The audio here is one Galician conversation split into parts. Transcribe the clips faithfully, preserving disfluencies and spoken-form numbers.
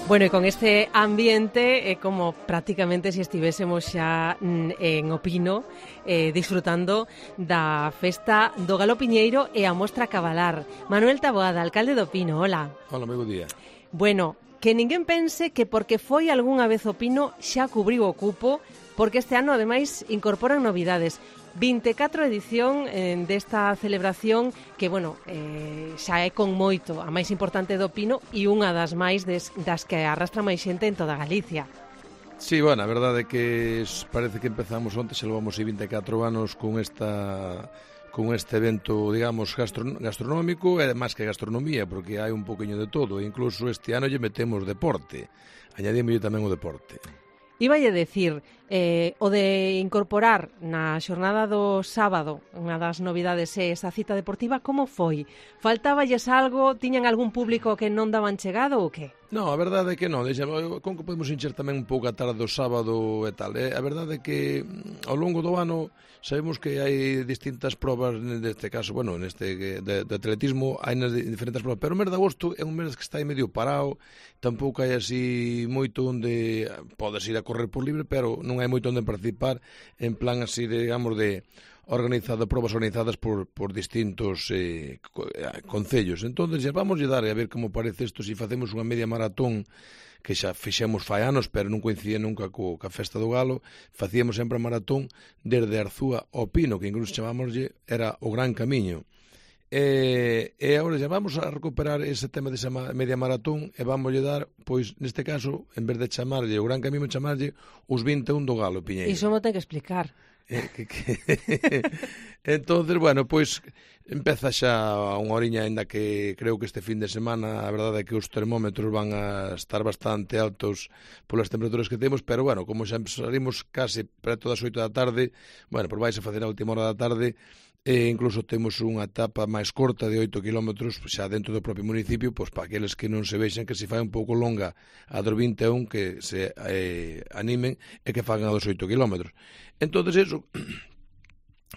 Bueno, e con este ambiente é como prácticamente se estivésemos xa en Opino eh, disfrutando da festa do Galo Piñeiro e a mostra cabalar. Manuel Taboada, alcalde de Opino, hola. Hola, moi bo día. Bueno, que ninguén pense que porque foi algunha vez Opino xa cubriu o cupo, porque este ano ademais incorporan novidades. vinte e catro edición eh, desta celebración que, bueno, eh, xa é con moito a máis importante do Pino e unha das máis des, das que arrastra máis xente en toda Galicia. Sí, bueno, a verdade é que parece que empezamos onte, xa levamos vinte e catro anos con esta con este evento, digamos, gastron gastronómico e máis que gastronomía, porque hai un poquinho de todo, e incluso este ano lle metemos deporte, añadimos tamén o deporte. Iballe decir, eh, o de incorporar na xornada do sábado unha das novidades é esa cita deportiva, como foi? Faltáballes algo? Tiñan algún público que non daban chegado ou que? No, a verdade é que non, deixamos, con que podemos encher tamén un pouco a tarde do sábado e tal, eh? A verdade é que ao longo do ano sabemos que hai distintas probas, neste caso, bueno, neste de, de atletismo hai nas diferentes probas, pero o mes de agosto é un mes que está aí medio parado, tampouco hai así moito onde podes ir a correr por libre, pero non hai moito onde participar en plan así, de, digamos, de organizado, probas organizadas por, por distintos eh, concellos. Entón, xa vamos a dar a ver como parece isto, se si facemos unha media maratón que xa fixemos fai anos, pero non coincidía nunca co, ca festa do Galo, facíamos sempre a maratón desde Arzúa ao Pino, que incluso chamámoslle, era o Gran Camiño. E, e agora xa vamos a recuperar ese tema desa media maratón e vamos a dar, pois, neste caso, en vez de chamarlle o Gran Camiño, chamarlle os vinte e un do Galo, Piñeiro. Iso mo ten que explicar. Eh, que, que... Entonces, bueno, pois empeza xa unha horiña, ainda que creo que este fin de semana a verdade é que os termómetros van a estar bastante altos polas temperaturas que temos, pero bueno, como xa salimos case preto das oito da tarde, bueno, por vais a facer a última hora da tarde, e incluso temos unha etapa máis corta de oito kilómetros xa dentro do propio municipio, pois para aqueles que non se vexan que se fai un pouco longa a dos vinte e un, que se eh, animen e que fagan a dos oito kilómetros. Entonces eso,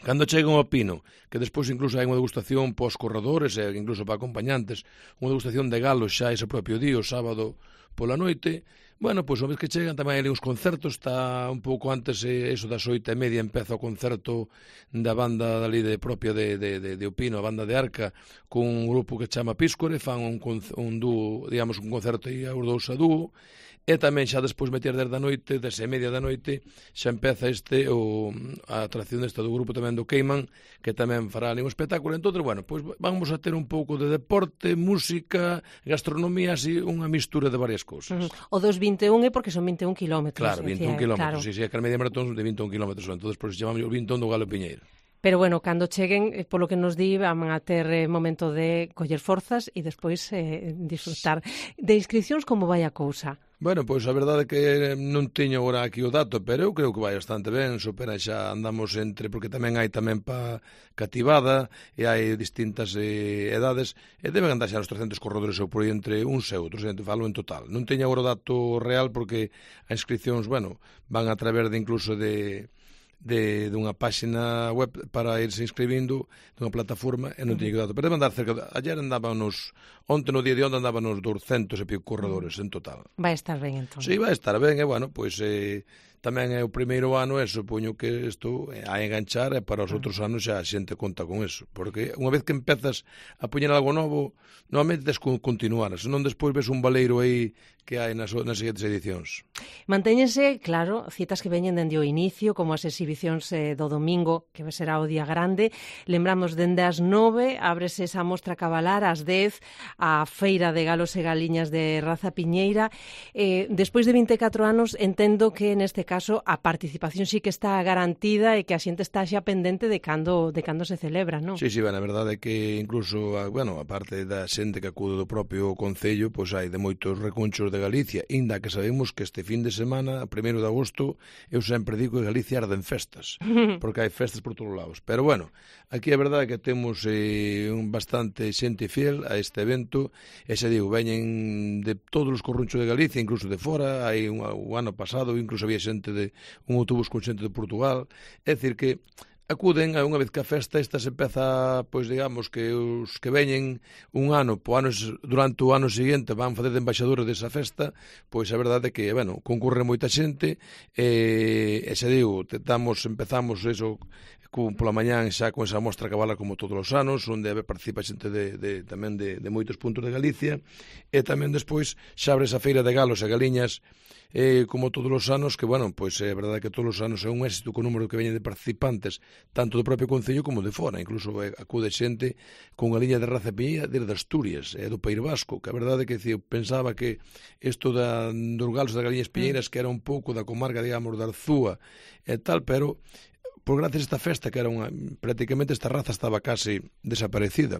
cando chegan ao Pino, que despois incluso hai unha degustación pos corredores e incluso para acompañantes, unha degustación de galos xa ese propio día, o sábado pola noite, bueno, pois unha vez que chegan tamén hai uns concertos, está un pouco antes, eso das oito e media empeza o concerto da banda dali de propia de, de, de, de Opino, a banda de Arca, con un grupo que chama Píscore, fan un, un dúo, digamos, un concerto e os dous a dúo, e tamén xa despois meter desde a noite, desde a media da noite, xa empeza este o, a atracción desta do grupo tamén do Queiman, que tamén fará ali un espectáculo. Entón, bueno, pois vamos a ter un pouco de deporte, música, gastronomía, así, unha mistura de varias cousas. Uh-huh. O dos vinte e un é porque son vinte e un kilómetros. Claro, vinte e un kilómetros, claro. Si, si, é que a media maratón de vinte e un kilómetros, entón, por iso chamamos o vinte e un do Galo Piñeiro. Pero bueno, cando cheguen, polo que nos di, van a ter eh, momento de coller forzas e despois eh, disfrutar. De inscripcións, como vai a cousa? Bueno, pois a verdade é que non teño agora aquí o dato, pero eu creo que vai bastante ben, supera xa andamos entre, porque tamén hai tamén pa cativada e hai distintas eh, edades, e deben andar xa os trescentos corredores ou por aí entre uns e outros, entre falo en total. Non teño agora o dato real porque as inscripcións, bueno, van a través de incluso de de dunha páxina web para irse inscribindo dunha plataforma e non teño dato, pero deben andar cerca de... Ayer andábamos, onte no día de onte andábamos doscientos e pico corredores en total. Vai estar ben, entón. Sí, vai estar ben, e bueno, pois eh, tamén é o primeiro ano e supoño que isto a enganchar e para os outros anos xa a xente conta con eso, porque unha vez que empezas a poñer algo novo, normalmente tens que continuar, senón despois ves un baleiro aí que hai nas, nas seguintes edicións. Mantéñense, claro, citas que veñen dende o inicio, como as exhibicións eh, do domingo, que será o día grande. Lembramos, dende as nove, ábrese esa mostra cabalar, ás dez, a feira de galos e galiñas de raza piñeira. Eh, despois de vinte e catro anos, entendo que neste caso a participación sí que está garantida e que a xente está xa pendente de cando, de cando se celebra, non? Sí, sí, ben, a verdade é que incluso, bueno, a parte da xente que acude do propio Concello, pois hai de moitos recunchos de Galicia, inda que sabemos que este fin de semana, primeiro de agosto, eu sempre digo que Galicia arde en festas, porque hai festas por todos lados. Pero bueno, aquí a verdade é que temos eh, un bastante xente fiel a este evento, e xa digo, veñen de todos os corrunchos de Galicia, incluso de fora, hai un, un ano pasado, incluso había xente de un autobús con xente de Portugal, é dicir que acuden a unha vez que a festa esta se empeza, pois digamos que os que veñen un ano, po anos, durante o ano seguinte van facer de embaixadores desa festa, pois a verdade é que, bueno, concurre moita xente, e, e se digo, tentamos, empezamos eso, con, pola mañán xa con esa mostra cabala como todos os anos, onde participa xente de, de, tamén de, de moitos puntos de Galicia, e tamén despois xa abre esa feira de galos e galiñas, eh, como todos os anos, que, bueno, pois é verdade que todos os anos é un éxito co número que veñen de participantes, tanto do propio Concello como de fora, incluso eh, acude xente con galiña de raza piñeira desde Asturias, e eh, do País Vasco, que a verdade é que eu pensaba que isto da, dos galos das galiñas piñeiras que era un pouco da comarca, digamos, da Arzúa e tal, pero por gracias a esta festa, que era unha, prácticamente esta raza estaba case desaparecida,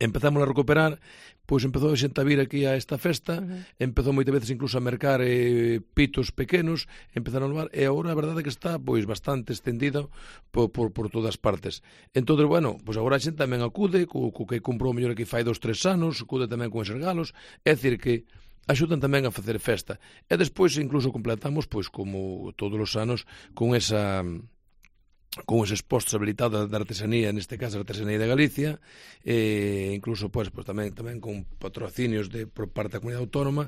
empezamos a recuperar, pois empezou a xente a vir aquí a esta festa, uh-huh. empezou moitas veces incluso a mercar eh, pitos pequenos, empezaron a levar, e agora a verdade é que está pois bastante estendido por, por, por todas partes. Entón, bueno, pois agora a xente tamén acude, co, co que comprou mellor aquí fai dos, tres anos, acude tamén con eses galos, é dicir que axudan tamén a facer festa. E despois incluso completamos, pois como todos os anos, con esa con eses postos habilitados da artesanía, neste caso a artesanía de Galicia, e incluso pois, pois tamén tamén con patrocinios de por parte da comunidade autónoma,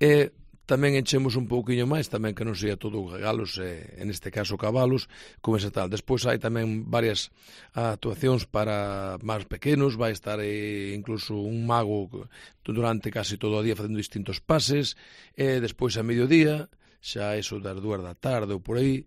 e tamén enchemos un pouquiño máis, tamén que non sea todo galos, e, en este caso cabalos, con ese tal. Despois hai tamén varias actuacións para máis pequenos, vai estar eh, incluso un mago durante casi todo o día facendo distintos pases, e despois a mediodía, xa eso das dúas da tarde ou por aí,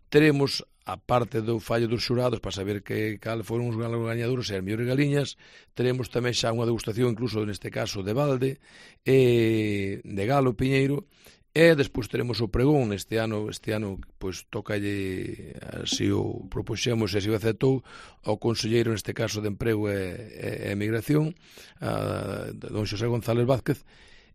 teremos a parte do fallo dos xurados para saber que cal foron os galos gañadores e as mellores galiñas, teremos tamén xa unha degustación incluso neste caso de balde, e de galo piñeiro, e despois teremos o pregón este ano, este ano pois tocalle, así o propuxemos e así o aceptou ao conselleiro neste caso de Emprego e, e, e Migración, a don Xosé González Vázquez.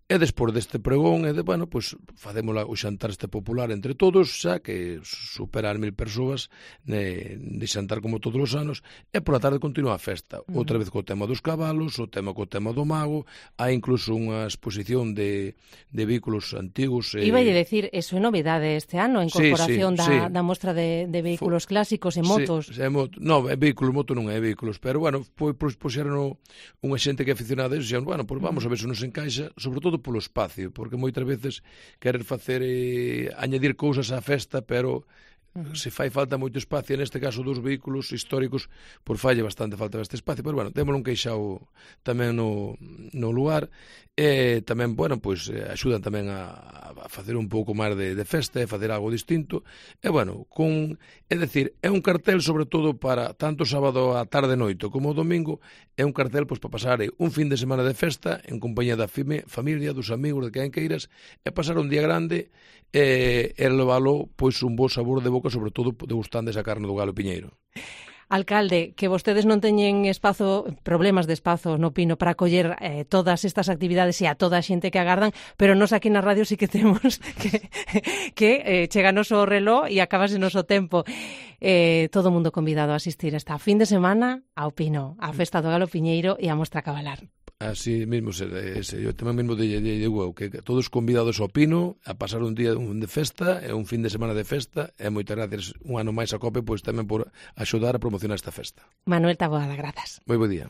E despois deste pregón, e de, bueno, pois facemos o xantar este popular entre todos, xa que supera as mil persoas de, de xantar como todos os anos, e por a tarde continúa a festa, uh-huh. outra vez co tema dos cabalos, o tema co tema do mago, hai incluso unha exposición de, de vehículos antigos. E... Iba a decir, eso é novidade este ano, a incorporación sí, sí, da, sí. da mostra de, de vehículos Fo... clásicos e motos. Sí, é moto. Non, é vehículos, moto non é vehículos, pero, bueno, pois puxeron unha xente que é aficionada a eso, e, bueno, pois vamos a ver se nos encaixa, sobre todo polo espacio, porque moitas veces querer facer eh, añadir cousas á festa, pero uh-huh. se fai falta moito espacio, neste caso dos vehículos históricos, por falle bastante falta este espacio, pero bueno, temos un queixao tamén no, no lugar, e tamén, bueno, pois eh, axudan tamén a, a facer un pouco máis de, de festa, e facer algo distinto, e bueno, con, é dicir, é un cartel sobre todo para tanto sábado a tarde e noite como o domingo, é un cartel pois para pasar un fin de semana de festa en compañía da fime, familia, dos amigos, de quen queiras, e pasar un día grande e, e levalo pois un bo sabor de boca, sobre todo degustando esa carne do galo piñeiro. Alcalde, que vostedes non teñen espazo, problemas de espazo no Pino para acoller eh, todas estas actividades e a toda a xente que agardan, pero nos aquí na radio sí que temos que, que eh, cheganos o reloj e acabase noso tempo. Eh, todo o mundo convidado a asistir esta fin de semana ao Pino, á Festa do Galo Piñeiro e a Mostra Cabalar. Así mesmo, ese, eu tamén mesmo de, de, de, de que todos convidados ao Pino a pasar un día de festa e un fin de semana de festa, e moitas gracias un ano máis a COPE pois tamén por axudar a promocionar esta festa. Manuel Taboada, grazas. Moi bo día.